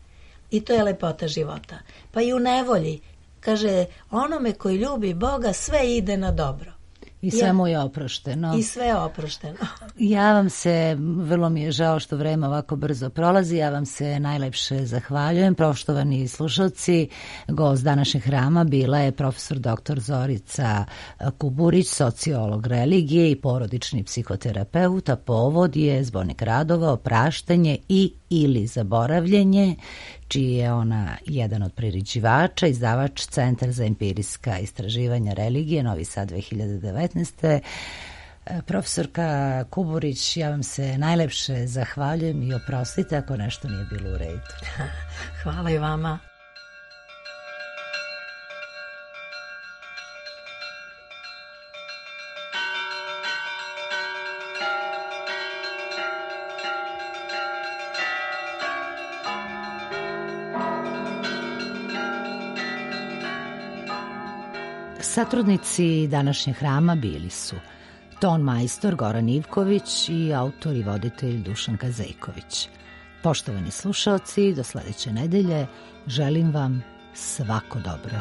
I to je lepota života. Pa i u nevolji, kaže, onome koji ljubi Boga, sve ide na dobro. I sve mu je oprošteno. I sve je oprošteno. Ja vam se, vrlo mi je žao što vreme ovako brzo prolazi, ja vam se najlepše zahvaljujem. Poštovani slušalci, gost današnjeg hrama bila je profesor dr. Zorica Kuburić, sociolog religije i porodični psihoterapeut, a povod je zbornik radova Opraštanje i ili zaboravljenje, čiji je ona jedan od priređivača, izdavač Centar za empirijska istraživanja religije, Novi Sad 2019. Profesorka Kuburić, ja vam se najlepše zahvaljujem i oprostite ako nešto nije bilo u redu. Hvala i vama. Satrudnici današnjeg hrama bili su ton majstor Goran Ivković i autor i voditelj Dušanka Zejković. Poštovani slušaoci, do sledeće nedelje želim vam svako dobro.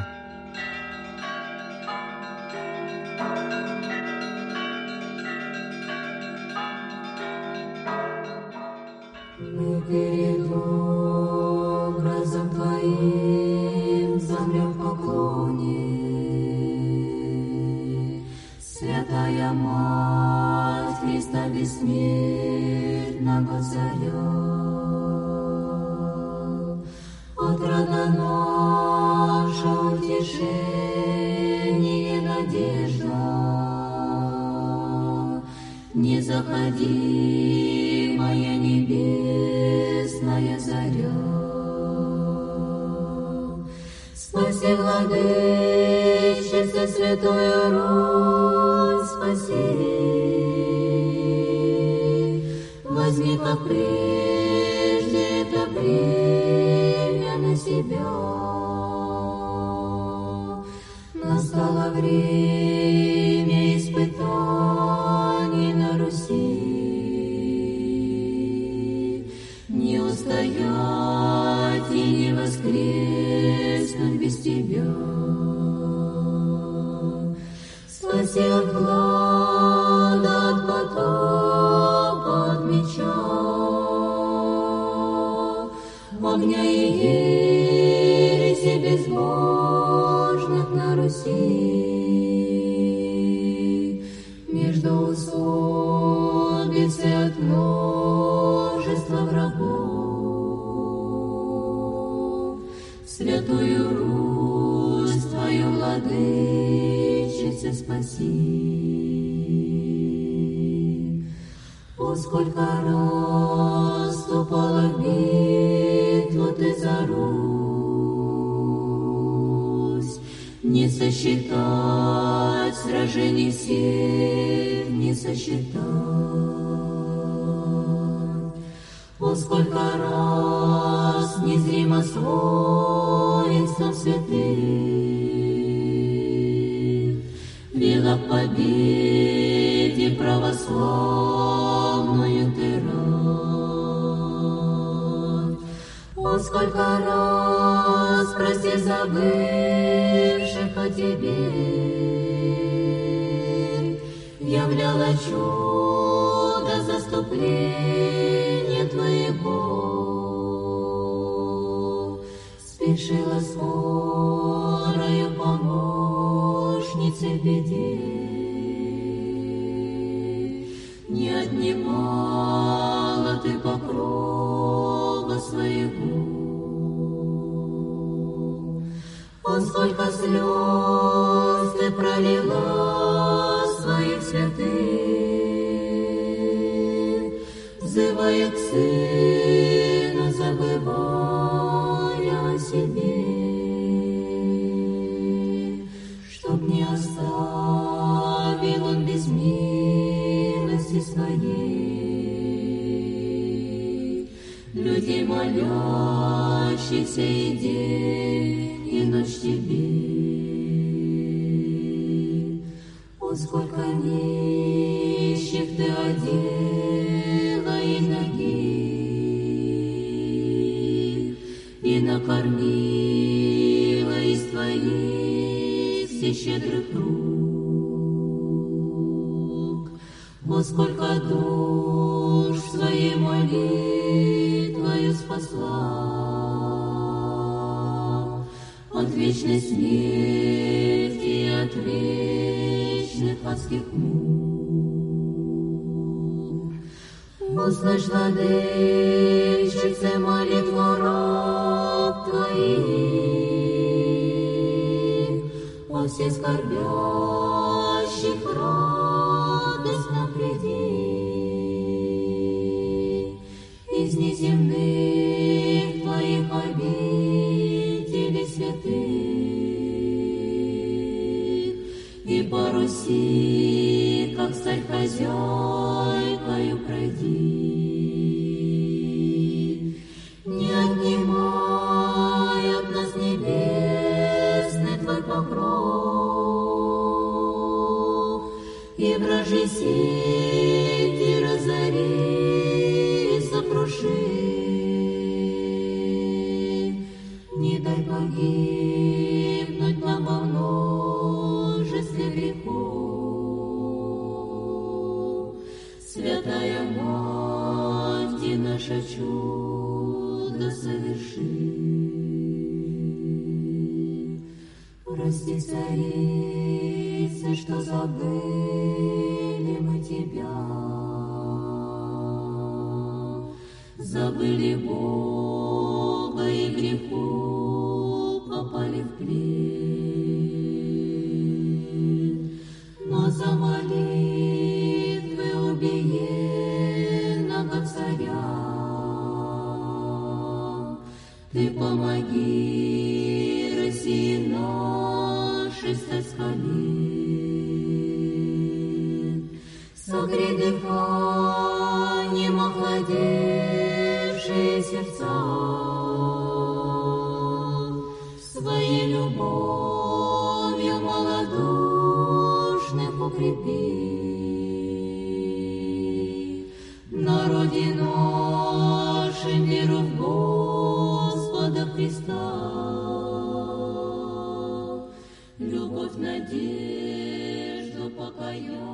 Святая Мать Христа бессмертного Царя, отрада наша, утешение, надежда, незаходимая небесная заря. Спаси, Владычица, Святую Русь, спаси, возьми, как прежде, это бремя на себя. Настало время испытаний на Руси, не устоять и не воскреснуть без тебя. Спаси от глада, от потопа, от меча, огня и ереси безбожных на Руси. Между усобицы от множества врагов, Святую Русь Твою, Владычица, спаси. О, сколько раз вступала в битву Ты за Не сосчитать сражений всех, не сосчитать. О, сколько раз незримо с воинством святых вела к победе православную ты рад. О, сколько раз прости забывших о тебе, являла чудо заступления твоего, спешила скорою помощнице в беде, не отнимала ты покрова своего. О, сколько слез ты пролила своих святых, взывая к Сыну, забывая о себе, чтоб не оставил он без милости своей людей, молящихся и день и ночь тебе. О, сколько нищих ты одела и нагих, и накормила из твоих все щедрых рук. О, сколько душ своей молитвою спасла от вечной смерти и от вечных адских мук. Услышь, владычице, молитву раб твоих, о все скорбящих радостно приди, из неземных твоих обителей святых, и по Руси, как царь хозяйкою пройди, не отнимай от нас небесный твой покров, и вражьи сети разори и сокруши. Не дай погибнуть нам во множестве грехов. Святая Мать, и наше чудо соверши. Прости, царица, что забыли мы тебя, забыли Бога и греху попали в плен. Но за молитвы убиенного царя ты помоги России нашей стать с колен. Согрей дыханием охладевшие сердца, своей любовью малодушных укрепи. Народе нашим веру в Господа Христа, любовь, надежду, покаяние.